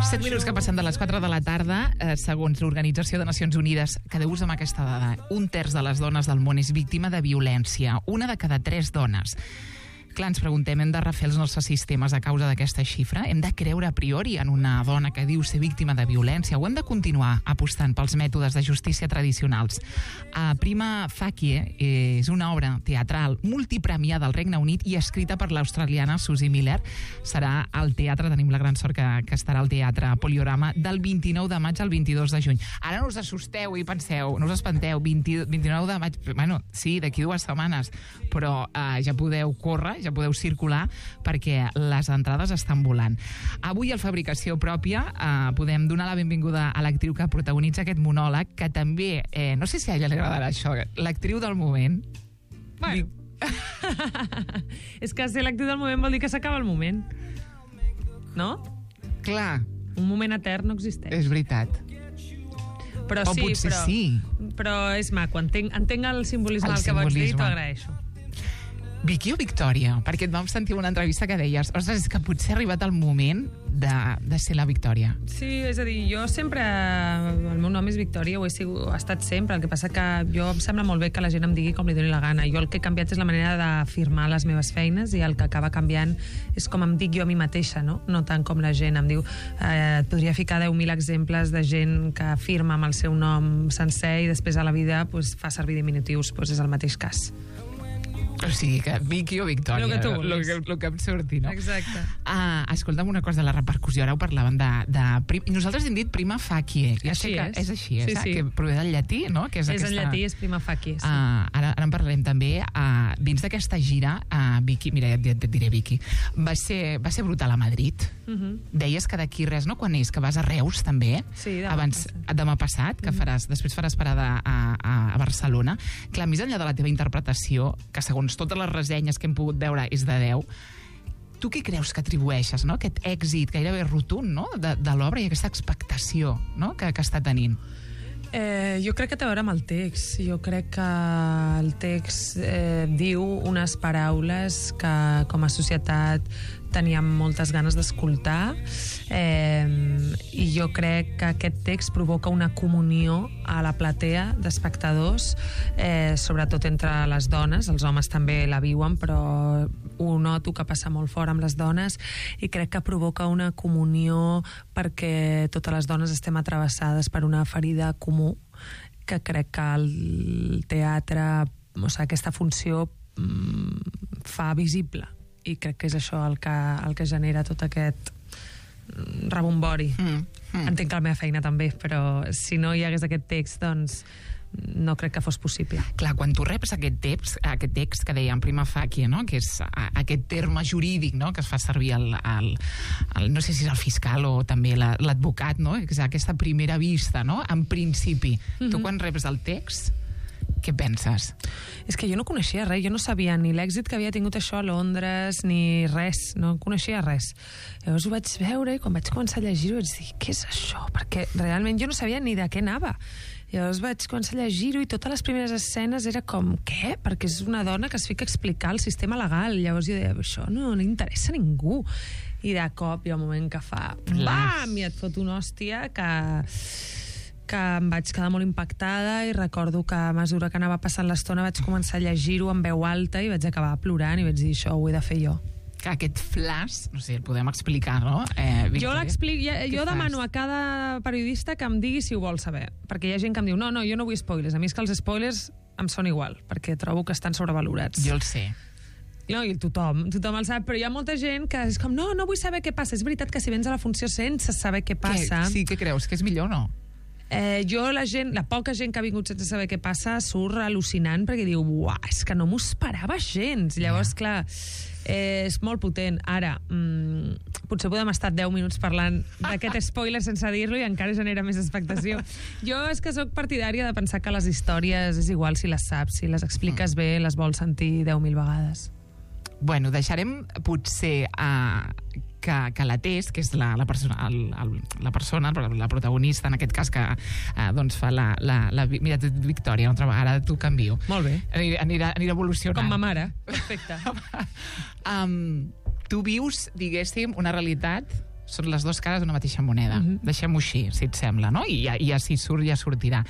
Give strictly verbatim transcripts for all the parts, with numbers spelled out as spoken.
set minuts que passen de les quatre de la tarda, eh, segons l'Organització de Nacions Unides, quedeu-vos amb aquesta dada, un terç de les dones del món és víctima de violència, una de cada tres dones. Clar, ens preguntem, hem de refer els nostres sistemes a causa d'aquesta xifra? Hem de creure a priori en una dona que diu ser víctima de violència? O hem de continuar apostant pels mètodes de justícia tradicionals? A Prima Facie és una obra teatral multipremiada al Regne Unit i escrita per l'australiana Susie Miller. Serà al teatre, tenim la gran sort que, que estarà al teatre Poliorama del vint-i-nou de maig al vint-i-dos de juny. Ara no us assusteu i penseu, no us espanteu, vint, vint-i-nou de maig, bueno, sí, d'aquí dues setmanes, però eh, ja podeu córrer, ja podeu circular perquè les entrades estan volant. Avui al Fabricació Pròpia eh, podem donar la benvinguda a l'actriu que protagonitza aquest monòleg, que també, eh, no sé si a ella li agradarà això, l'actriu del moment. Bueno. És que ser l'actriu del moment vol dir que s'acaba el moment. No? Clar. Un moment etern no existeix. És veritat. Però o sí, potser però, sí. Però és maco, entenc, entenc el simbolisme El del que vols dir i simbolisme. t'ho agraeixo. Vicky o Victòria? Perquè et vam sentir una entrevista que deies, ostres, és que potser ha arribat el moment de, de ser la Victòria. Sí, és a dir, jo sempre... El meu nom és Victòria, ho he, sigut, ho he estat sempre. El que passa que jo em sembla molt bé que la gent em digui com li doni la gana. Jo el que he canviat és la manera d'afirmar les meves feines i el que acaba canviant és com em dic jo a mi mateixa, no? No tant com la gent em diu. Eh, et podria ficar deu mil exemples de gent que afirma amb el seu nom sencer i després a la vida pues, fa servir diminutius, pues és el mateix cas. O sigui, que Vicky o Victòria, Lo que tu vulguis. Lo que, lo que em surti, no? Exacte. Ah, escolta'm una cosa de la repercussió. Ara ho parlaven de... de prim... Nosaltres hem dit prima facie. Ja Així sé que és. és així, és, Sí, sí. que prové del llatí, no? Que és, És aquesta... en llatí, és prima facie. Sí. Ah, ara, ara en parlarem també. Ah, dins d'aquesta gira, ah, Vicky, mira, ja et, et diré Vicky, va ser, va ser brutal a Madrid. Uh -huh. Deies que d'aquí res, no? Quan és? Que vas a Reus, també? Sí, demà Abans, passat. demà passat, que faràs, després faràs parada a, a, a Barcelona. Clar, més enllà de la teva interpretació, que segons totes les ressenyes que hem pogut veure és de deu, tu què creus que atribueixes, no? Aquest èxit gairebé rotund, no? de, de l'obra i aquesta expectació, no? que, que està tenint? Eh, jo crec que té a veure amb el text. Jo crec que el text eh, diu unes paraules que com a societat teníem moltes ganes d'escoltar eh, i jo crec que aquest text provoca una comunió a la platea d'espectadors, eh, sobretot entre les dones. Els homes també la viuen, però ho noto que passa molt fort amb les dones i crec que provoca una comunió perquè totes les dones estem atravessades per una ferida comú que crec que el teatre, o sigui, aquesta funció mm, fa visible i crec que és això el que, el que genera tot aquest rebombori. Mm, mm. Entenc que la meva feina també, però si no hi hagués aquest text, doncs no crec que fos possible. Clar, quan tu reps aquest text, aquest text que dèiem prima facie, no? Que és a, aquest terme jurídic, no? Que es fa servir el, el, el, no sé si és el fiscal o també la, l'advocat, no? Que és aquesta primera vista, no? En principi. Mm-hmm. Tu quan reps el text, què penses? És que jo no coneixia res, jo no sabia ni l'èxit que havia tingut això a Londres, ni res, no coneixia res. Llavors ho vaig veure i quan vaig començar a llegir-ho vaig dir, què és això? Perquè realment jo no sabia ni de què anava. Llavors vaig començar a llegir-ho i totes les primeres escenes era com, què? Perquè és una dona que es fica a explicar el sistema legal. Llavors jo deia, això no, no interessa a ningú. I de cop hi ha un moment que fa bam! I et fot una hòstia que... que em vaig quedar molt impactada i recordo que a mesura que anava passant l'estona vaig començar a llegir-ho en veu alta i vaig acabar plorant i vaig dir, això ho he de fer jo. Que aquest flash, no sé, el podem explicar, no? Eh, jo l'explico, jo demano a cada periodista que em digui si ho vol saber, perquè hi ha gent que em diu, no, no, jo no vull spoilers, a mi és que els spoilers em són igual, perquè trobo que estan sobrevalorats. Jo el sé. No, i tothom, tothom el sap, però hi ha molta gent que és com, no, no vull saber què passa. És veritat que si vens a la funció sense saber què passa... Què? Sí, què creus? Que és millor o no? Eh, jo, la gent, la poca gent que ha vingut sense saber què passa surt al·lucinant perquè diu, uah, és que no m'ho esperava gens. Llavors, yeah. clar, eh, és molt potent. Ara, mmm, potser podem estar deu minuts parlant d'aquest spoiler sense dir-lo i encara genera més expectació. Jo és que sóc partidària de pensar que les històries és igual si les saps, si les expliques bé, les vols sentir deu mil vegades. Bueno, deixarem potser uh, que, que la Tess, que és la, la, persona, el, el, la persona, la protagonista, en aquest cas, que uh, doncs fa la, la, la... Mira, Victòria, una altra vegada tu canvio. Molt bé. Anirà, anirà, anirà evolucionant. Com ma mare. Perfecte. um, tu vius, diguéssim, una realitat són les dues cares d'una mateixa moneda. Mm-hmm. Deixem-ho així, si et sembla, no? I ja, ja si surt, ja sortirà.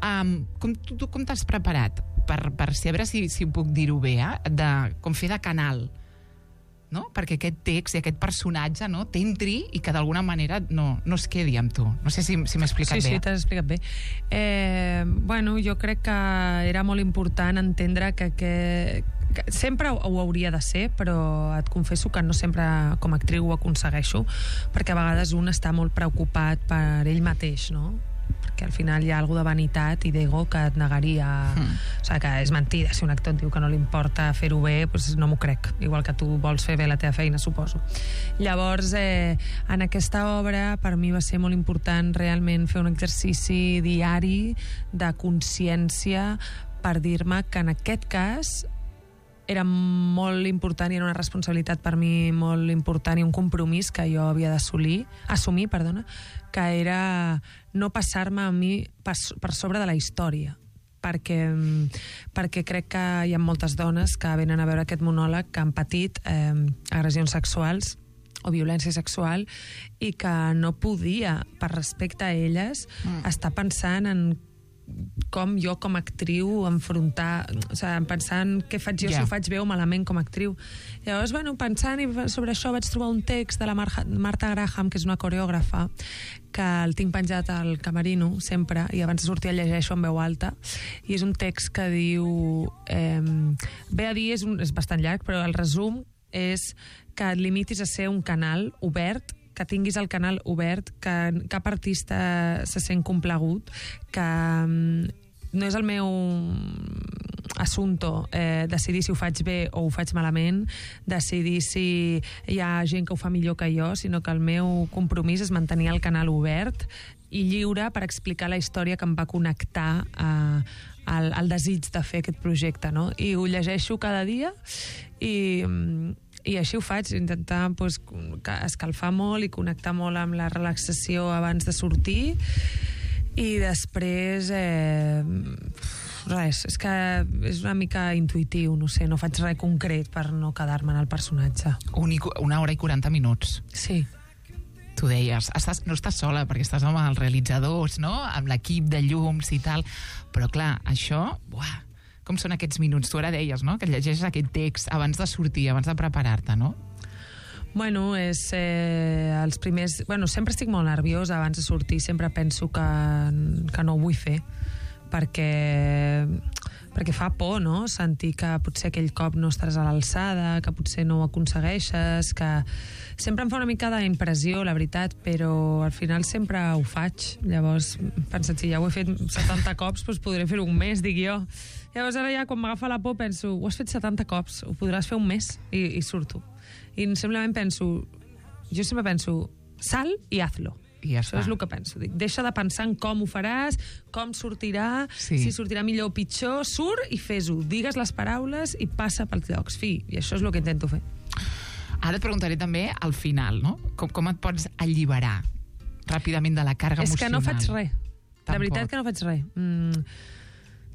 Um, com, tu, tu com t'has preparat per, per si, a veure si, si puc dir-ho bé, eh? De, com fer de canal, no? Perquè aquest text i aquest personatge, no, t'entri i que d'alguna manera no, no es quedi amb tu. No sé si, si m'he explicat sí, bé. Sí, sí, t'has explicat bé. Eh, bueno, jo crec que era molt important entendre que, que, que sempre ho, ho hauria de ser, però et confesso que no sempre com a actriu ho aconsegueixo, perquè a vegades un està molt preocupat per ell mateix, no? Perquè al final hi ha alguna de vanitat i d'ego que et negaria... Mm. O sigui, que és mentida. Si un actor et diu que no li importa fer-ho bé, doncs no m'ho crec. Igual que tu vols fer bé la teva feina, suposo. Llavors, eh, en aquesta obra, per mi va ser molt important realment fer un exercici diari de consciència per dir-me que en aquest cas era molt important i era una responsabilitat per mi molt important i un compromís que jo havia d'assolir, assumir, perdona, que era no passar-me a mi per, per sobre de la història. Perquè, perquè crec que hi ha moltes dones que venen a veure aquest monòleg que han patit eh, agressions sexuals o violència sexual i que no podia, per respecte a elles, mm. estar pensant en com jo com a actriu enfrontar, o sigui, pensant què faig jo, yeah. si ho faig bé o malament com a actriu. Llavors, bueno, pensant sobre això vaig trobar un text de la Mar Marta Graham, que és una coreògrafa, que el tinc penjat al camerino sempre, i abans de sortir el llegeixo en veu alta, i és un text que diu eh, ve a dir, és, un, és bastant llarg, però el resum és que et limitis a ser un canal obert, que tinguis el canal obert, que cap artista se sent complagut, que no és el meu assumpto eh, decidir si ho faig bé o ho faig malament, decidir si hi ha gent que ho fa millor que jo, sinó que el meu compromís és mantenir el canal obert i lliure per explicar la història que em va connectar a, al, al desig de fer aquest projecte, no? I ho llegeixo cada dia i... I així ho faig, intentar pues, escalfar molt i connectar molt amb la relaxació abans de sortir. I després... Eh, res, és que és una mica intuïtiu, no sé, no faig res concret per no quedar-me en el personatge. Un, una hora i quaranta minuts. Sí. Tu deies, estàs, no estàs sola, perquè estàs amb els realitzadors, no? Amb l'equip de llums i tal. Però clar, això... Buah, com són aquests minuts? Tu ara deies, no?, que llegeixes aquest text abans de sortir, abans de preparar-te, no? Bueno, és eh, els primers... Bueno, sempre estic molt nerviosa abans de sortir, sempre penso que, que no ho vull fer, perquè, perquè fa por, no?, sentir que potser aquell cop no estaràs a l'alçada, que potser no ho aconsegueixes, que... Sempre em fa una mica d'impressió, la veritat, però al final sempre ho faig. Llavors, pensa't, si ja ho he fet setanta cops, doncs podré fer-ho un mes, dic jo. Llavors ara ja, quan m'agafa la por, penso, ho has fet setanta cops, ho podràs fer un mes, i, i surto. I simplement penso, jo sempre penso, sal i hazlo. I ja Això és el que penso. Dic, deixa de pensar en com ho faràs, com sortirà, sí. si sortirà millor o pitjor, surt i fes-ho. Digues les paraules i passa pels llocs. Fi, i això és el que intento fer. Ara et preguntaré també al final, no? Com, com et pots alliberar ràpidament de la càrrega és emocional? És que no faig res. Tampoc. La veritat que no faig res. Mm,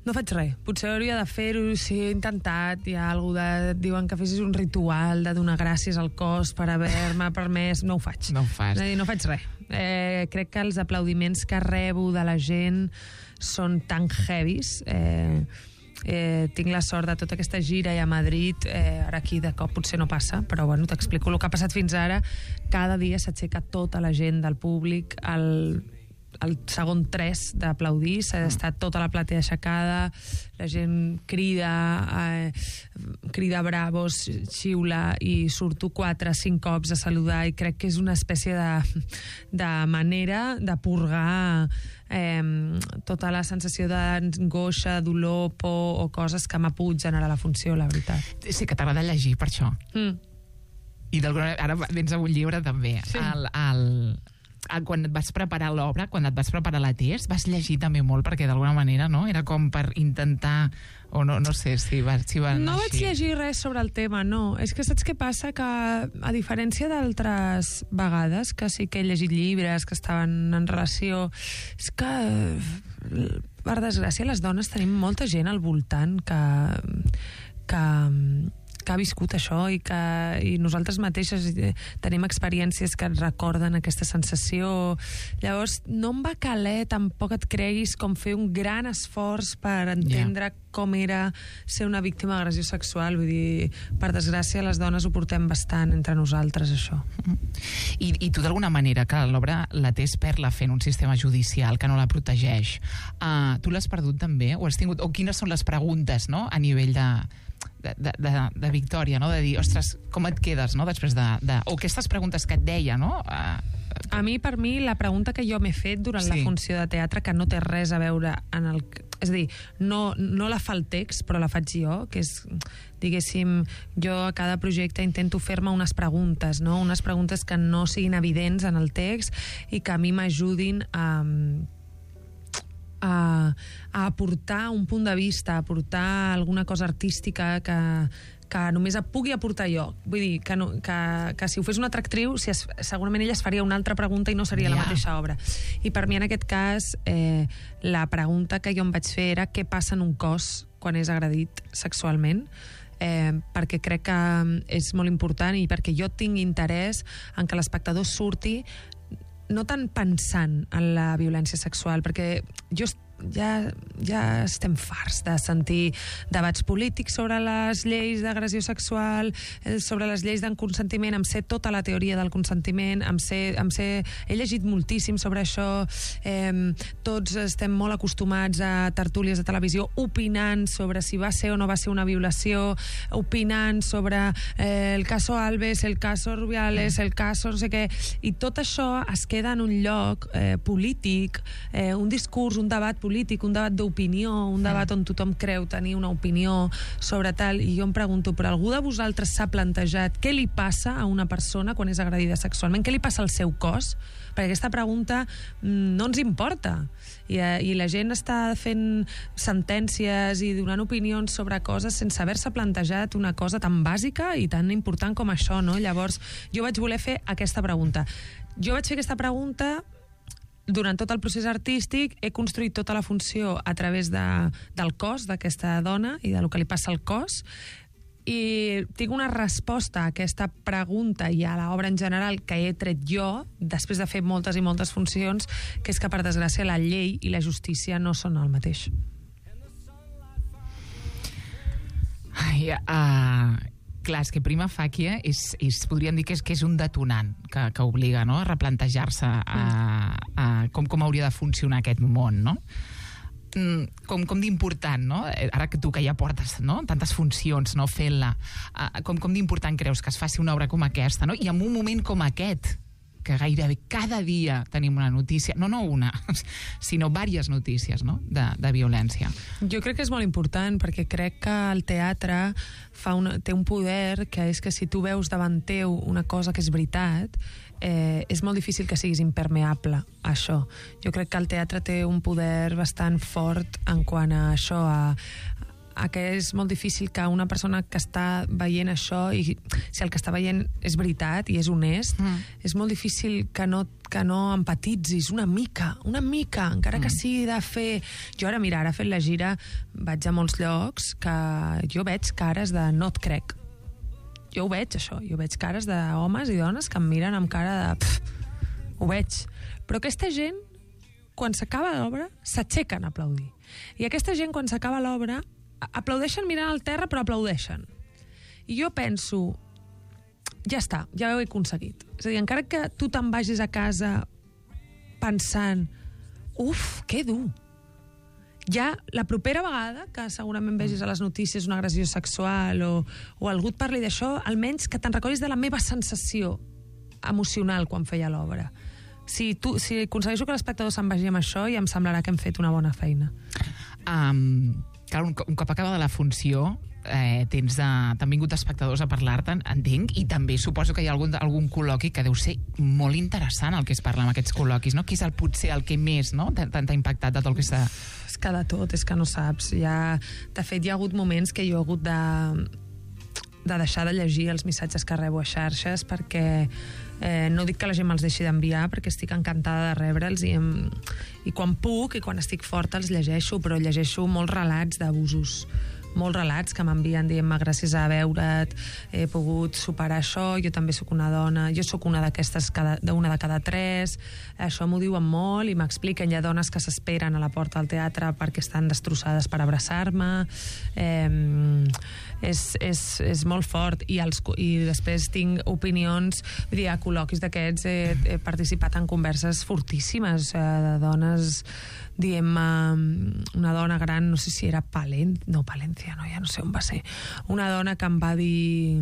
no faig res. Potser hauria de fer-ho, si he intentat, hi ha algú de... Diuen que fessis un ritual de donar gràcies al cos per haver-me permès. No ho faig. No ho fas. No faig res. Eh, crec que els aplaudiments que rebo de la gent són tan heavies. Eh, Eh, tinc la sort de tota aquesta gira i a Madrid, eh, ara aquí de cop potser no passa, però bueno, t'explico el que ha passat fins ara. Cada dia s'aixeca tota la gent del públic al, al segon tres d'aplaudir, s'ha estat tota la platea aixecada, la gent crida, eh, crida bravos, xiula, i surto quatre, cinc cops a saludar, i crec que és una espècie de, de manera de purgar eh, tota la sensació d'angoixa, dolor, por o coses que m'ha pogut generar la funció, la veritat. Sí, que t'agrada llegir per això. Mm. I d'alguna manera, ara vens amb un llibre també. Sí. El, el, el, quan et vas preparar l'obra, quan et vas preparar la test, vas llegir també molt, perquè d'alguna manera, no?, era com per intentar... O no, no sé si va, si va No anar vaig així. llegir res sobre el tema, no. És que saps què passa? Que, a diferència d'altres vegades, que sí que he llegit llibres que estaven en relació... És que, per desgràcia, les dones tenim molta gent al voltant que, que, que ha viscut això i que i nosaltres mateixes tenim experiències que et recorden aquesta sensació. Llavors, no em va caler, tampoc et creguis, com fer un gran esforç per entendre yeah. com era ser una víctima d'agressió sexual. Vull dir, per desgràcia, les dones ho portem bastant entre nosaltres, això. I, i tu, d'alguna manera, que l'obra la tens per la fe en un sistema judicial que no la protegeix, uh, tu l'has perdut també? O has tingut, o quines són les preguntes, no?, a nivell de, de, de, de, de Victòria, no?, de dir, ostres, com et quedes, no?, després de... de o aquestes preguntes que et deia, no? Uh, a mi, per mi, la pregunta que jo m'he fet durant sí. la funció de teatre, que no té res a veure en el... És a dir, no, no la fa el text, però la faig jo, que és, diguéssim, jo a cada projecte intento fer-me unes preguntes, no? Unes preguntes que no siguin evidents en el text i que a mi m'ajudin a... A, a aportar un punt de vista, a aportar alguna cosa artística que, que només pugui aportar jo. Vull dir, que, no, que, que si ho fes una altra actriu, si es, segurament ella es faria una altra pregunta i no seria yeah. la mateixa obra. I per mi, en aquest cas, eh, la pregunta que jo em vaig fer era què passa en un cos quan és agredit sexualment, eh, perquè crec que és molt important i perquè jo tinc interès en que l'espectador surti no tant pensant en la violència sexual, perquè jo ja, ja estem farts de sentir debats polítics sobre les lleis d'agressió sexual, sobre les lleis del consentiment. Em sé tota la teoria del consentiment, em sé, em sé, he llegit moltíssim sobre això, eh, tots estem molt acostumats a tertúlies de televisió opinant sobre si va ser o no va ser una violació, opinant sobre eh, el caso Alves, el caso Rubiales, el caso no sé què, i tot això es queda en un lloc eh, polític, eh, un discurs, un debat polític, un debat d'opinió, un debat on tothom creu tenir una opinió sobre tal, i jo em pregunto, però algú de vosaltres s'ha plantejat què li passa a una persona quan és agredida sexualment? Què li passa al seu cos? Perquè aquesta pregunta no ens importa. I, i la gent està fent sentències i donant opinions sobre coses sense haver-se plantejat una cosa tan bàsica i tan important com això, no? Llavors, jo vaig voler fer aquesta pregunta. Jo vaig fer aquesta pregunta durant tot el procés artístic, he construït tota la funció a través de, del cos d'aquesta dona i del que li passa al cos, i tinc una resposta a aquesta pregunta i a l'obra en general que he tret jo, després de fer moltes i moltes funcions, que és que, per desgràcia, la llei i la justícia no són el mateix. Ai, uh, clar, és que prima facie és, és, podríem dir que és, que és un detonant que, que obliga, no?, a replantejar-se a, a com, com hauria de funcionar aquest món, no? Com, com d'important, no? Ara que tu que ja portes, no?, tantes funcions, no?, fent-la, uh, com, com d'important creus que es faci una obra com aquesta, no?, i en un moment com aquest, que gairebé cada dia tenim una notícia, no, no una, sinó diverses notícies, no?, de, de violència. Jo crec que és molt important, perquè crec que el teatre fa una, té un poder que és que si tu veus davant teu una cosa que és veritat, eh, és molt difícil que siguis impermeable a això. Jo crec que el teatre té un poder bastant fort en quant a això, a a que és molt difícil que una persona que està veient això, i si el que està veient és veritat i és honest, mm. és molt difícil que no, que no empatitzis una mica, una mica, encara mm. que sigui de fer... Jo ara, mira, ara fent la gira vaig a molts llocs que jo veig cares de no et crec. Jo ho veig, això. Jo veig cares d'homes i dones que em miren amb cara de... Pff, ho veig. Però aquesta gent, quan s'acaba l'obra, s'aixequen a aplaudir. I aquesta gent, quan s'acaba l'obra, aplaudeixen mirant al terra, però aplaudeixen. I jo penso, ja està, ja ho he aconseguit. És a dir, encara que tu te'n vagis a casa pensant, uf, que dur. Ja la propera vegada que segurament vegis a les notícies una agressió sexual o, o algú et parli d'això, almenys que te'n recordis de la meva sensació emocional quan feia l'obra. Si, tu, si aconsegueixo que l'espectador se'n vagi amb això, ja em semblarà que hem fet una bona feina. Um... Clar, un, un cop acabada la funció, eh, tens de, t'han vingut espectadors a parlar-te'n, entenc, i també suposo que hi ha algun, algun col·loqui que deu ser molt interessant el que es parla en aquests col·loquis, no? Qui és el potser el que més, no?, t'ha impactat de tot el que s'ha... És que de tot, és que no saps. Ja, de fet, hi ha hagut moments que jo he hagut de, de deixar de llegir els missatges que rebo a xarxes, perquè eh, no dic que la gent me'ls deixi d'enviar, perquè estic encantada de rebre'ls, i, em, i quan puc i quan estic forta els llegeixo, però llegeixo molts relats d'abusos molts relats que m'envien dient-me gràcies a veure't, he pogut superar això, jo també sóc una dona, jo sóc una d'aquestes, una de cada tres, això m'ho diuen molt i m'expliquen, hi ha dones que s'esperen a la porta del teatre perquè estan destrossades per abraçar-me, eh, és, és, és molt fort, i, els, i després tinc opinions, vull dir, a col·loquis d'aquests he, he participat en converses fortíssimes eh, de dones dient-me, una dona gran, no sé si era Palen... no, Palencia, no, ja no sé on va ser, una dona que em va dir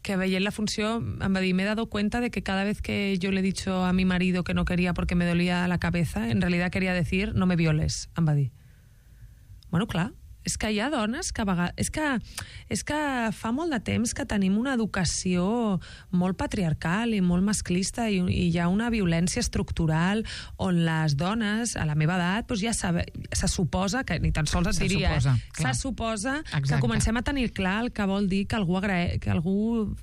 que veient la funció em va dir, me he dado cuenta de que cada vez que yo le he dicho a mi marido que no quería porque me dolía la cabeza, en realidad quería decir no me violes, em va dir. Bueno, clar, és que hi ha dones que a vegades... És que, és que fa molt de temps que tenim una educació molt patriarcal i molt masclista i, i hi ha una violència estructural on les dones, a la meva edat, doncs ja sabe, se suposa, que ni tan sols et se diria, suposa, eh? Se suposa Exacte. Que comencem a tenir clar el que vol dir que algú, agra... que algú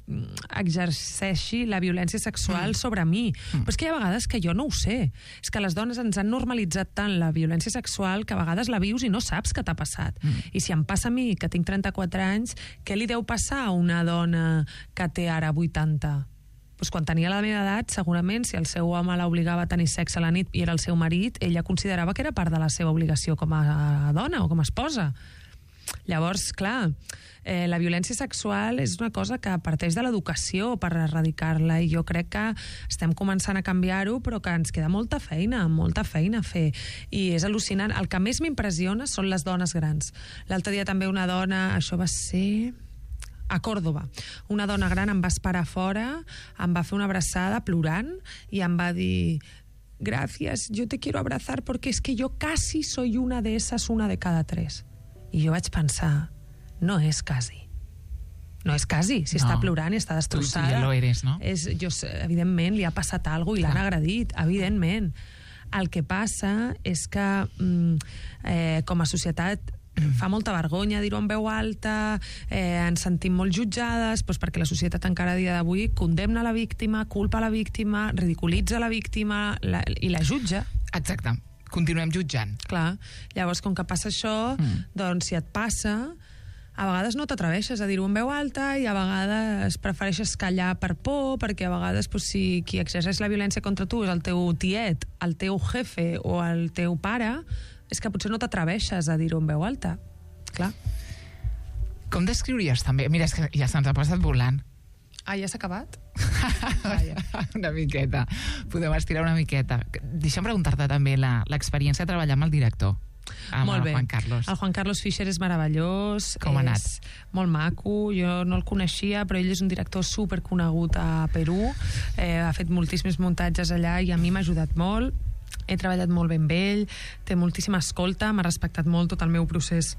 exerceixi la violència sexual mm. sobre mi. Mm. Però és que hi ha vegades que jo no ho sé. És que les dones ens han normalitzat tant la violència sexual que a vegades la vius i no saps què t'ha passat. Mm. I si em passa a mi, que tinc trenta-quatre anys, què li deu passar a una dona que té ara vuitanta? Pues quan tenia la meva edat, segurament, si el seu home l'obligava a tenir sexe a la nit i era el seu marit, ella considerava que era part de la seva obligació com a dona o com a esposa. Llavors, clar, eh, la violència sexual és una cosa que parteix de l'educació per erradicar-la, i jo crec que estem començant a canviar-ho, però que ens queda molta feina, molta feina a fer, i és al·lucinant. El que més m'impressiona són les dones grans. L'altre dia també una dona, això va ser a Còrdoba, una dona gran em va esperar fora, em va fer una abraçada plorant i em va dir: gracias, yo te quiero abrazar porque es que yo casi soy una de esas, una de cada tres. I jo vaig pensar, no és quasi. No és quasi, si no. Està plorant i està destrossada. Tu, tu ja lo eres, no? És, jo, evidentment, li ha passat alguna cosa i l'han agredit, evidentment. El que passa és que mm, eh, com a societat fa molta vergonya dir-ho en veu alta, eh, ens sentim molt jutjades, doncs perquè la societat encara a dia d'avui condemna la víctima, culpa la víctima, ridiculitza la víctima la, i la jutja. Exacte. Continuem jutjant. Clar, llavors com que passa això, mm. doncs si et passa, a vegades no t'atreveixes a dir-ho en veu alta i a vegades prefereixes callar per por, perquè a vegades doncs, si qui exerceix la violència contra tu és el teu tiet, el teu jefe o el teu pare, és que potser no t'atreveixes a dir-ho en veu alta. Clar. Com descriuries també? Mira, és que ja se'ns ha passat volant. Ah, ja s'ha acabat? Ah, ja. Una miqueta. Podem estirar una miqueta. Deixa'm preguntar-te també l'experiència de treballar amb el director, amb molt el bé. Juan Carlos. El Juan Carlos Fischer és meravellós. Com ha anat? És molt maco. Jo no el coneixia, però ell és un director superconegut a Perú. Eh, ha fet moltíssims muntatges allà i a mi m'ha ajudat molt. He treballat molt ben amb ell, té moltíssima escolta, m'ha respectat molt tot el meu procés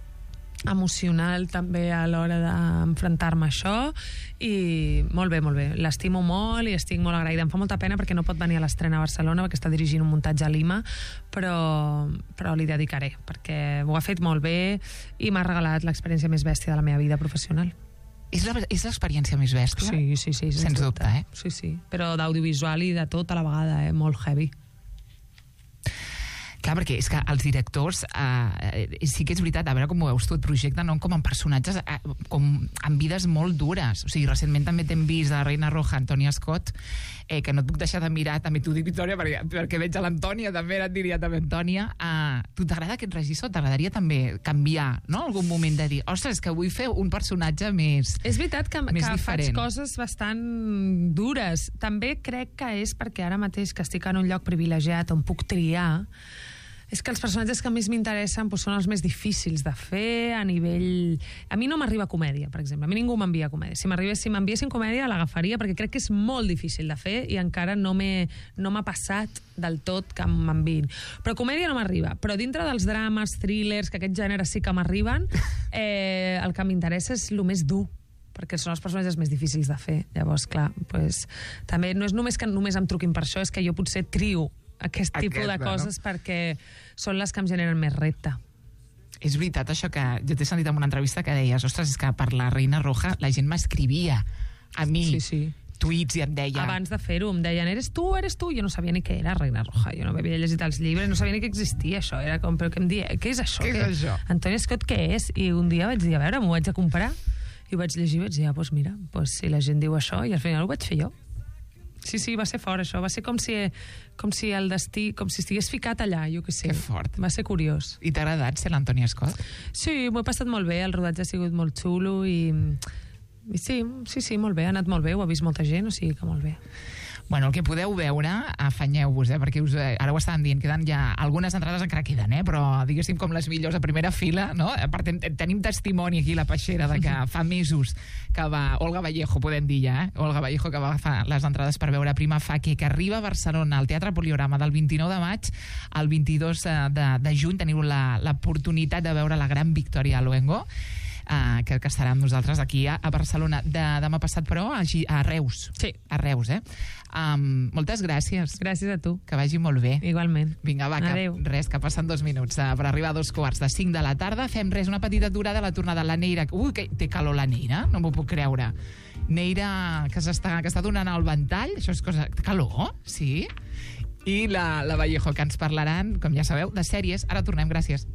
emocional també a l'hora d'enfrontar-me a això, i molt bé, molt bé, l'estimo molt i estic molt agraïda. Em fa molta pena perquè no pot venir a l'estrena a Barcelona perquè està dirigint un muntatge a Lima, però, però li dedicaré perquè ho ha fet molt bé i m'ha regalat l'experiència més bèstia de la meva vida professional. És l'experiència més bèstia? Sí, sí, sí. Sens dubte, eh? Sí, sí, però d'audiovisual i de tot a la vegada, eh? Molt heavy. Clar, perquè és que els directors eh, sí que és veritat, a veure com ho veus tu, et projecten no, com en personatges eh, com en vides molt dures. O sigui, recentment també t'hem vist a Reina Roja, Antònia Scott, eh, que no et puc deixar de mirar, també t'ho dic, Victòria, perquè, perquè veig a l'Antònia, també et diria també Antònia. Eh, tu t'agrada aquest regissor? T'agradaria també canviar, no?, algun moment de dir, ostres, que vull fer un personatge més És veritat que, més que diferent. faig coses bastant dures. També crec que és perquè ara mateix que estic en un lloc privilegiat on puc triar, és que els personatges que més m'interessen doncs, són els més difícils de fer a nivell... A mi no m'arriba comèdia, per exemple. A mi ningú m'envia comèdia. Si m'arribés, si m'enviessin comèdia, l'agafaria, perquè crec que és molt difícil de fer i encara no m'he no m'ha passat del tot que m'enviïn. Però comèdia no m'arriba. Però dintre dels drames, thrillers, que aquest gènere sí que m'arriben, eh, el que m'interessa és el més dur, perquè són els personatges més difícils de fer. Llavors, clar, pues, també no és només que només em truquin per això, és que jo potser trio aquest tipus Aquesta, de coses, no? Perquè són les que em generen més repte. És veritat això que jo t'he sentit en una entrevista que deies, ostres, és que per la Reina Roja la gent m'escrivia a mi. Sí, sí. tuits i et deia... Abans de fer-ho em deien, eres tu, eres tu? Jo no sabia ni què era Reina Roja, jo no havia llegit els llibres, no sabia ni que existia això, era com, però què em dia, què és això? Què és això? Antoni Scott, què és? I un dia vaig dir, a veure, m'ho vaig a comprar, i ho vaig llegir i vaig dir, ah, doncs mira, doncs si la gent diu això, i al final ho vaig fer jo. Sí, sí, va ser fort, això. Va ser com si, com si el destí, com si estigués ficat allà, jo què sé. Que fort. Va ser curiós. I t'ha agradat ser l'Antoni Scott? Sí, m'ho he passat molt bé, el rodatge ha sigut molt xulo i, i sí, sí, sí, molt bé, ha anat molt bé, ho ha vist molta gent, o sigui que molt bé. Bueno, el que podeu veure, afanyeu-vos, eh, perquè us, eh, ara ho estaven dient, queden ja algunes entrades encara queden, eh, però diguéssim com les millors a primera fila, no? A part, ten, tenim testimoni aquí, la peixera, de que fa mesos que va, Olga Vallejo, podem dir ja, eh? Olga Vallejo, que va agafar les entrades per veure Prima Facie, que arriba a Barcelona, al Teatre Poliorama, del vint-i-nou de maig al vint-i-dos de, de juny. Teniu l'oportunitat de veure la gran Victòria Luengo, Uh, que, que estarà amb nosaltres aquí a, a Barcelona de, demà passat, però a, a Reus. Sí. A Reus, eh? Um, moltes gràcies. Gràcies a tu. Que vagi molt bé. Igualment. Vinga, va, que, res, que passen dos minuts uh, per arribar a dos quarts de cinc de la tarda. Fem res, una petita aturada a la tornada. La Neira... Ui, que té calor la Neira, no m'ho puc creure. Neira, que s'està que està donant el ventall, això és cosa... Calor, sí? I la, la Vallejo, que ens parlaran, com ja sabeu, de sèries. Ara tornem, gràcies.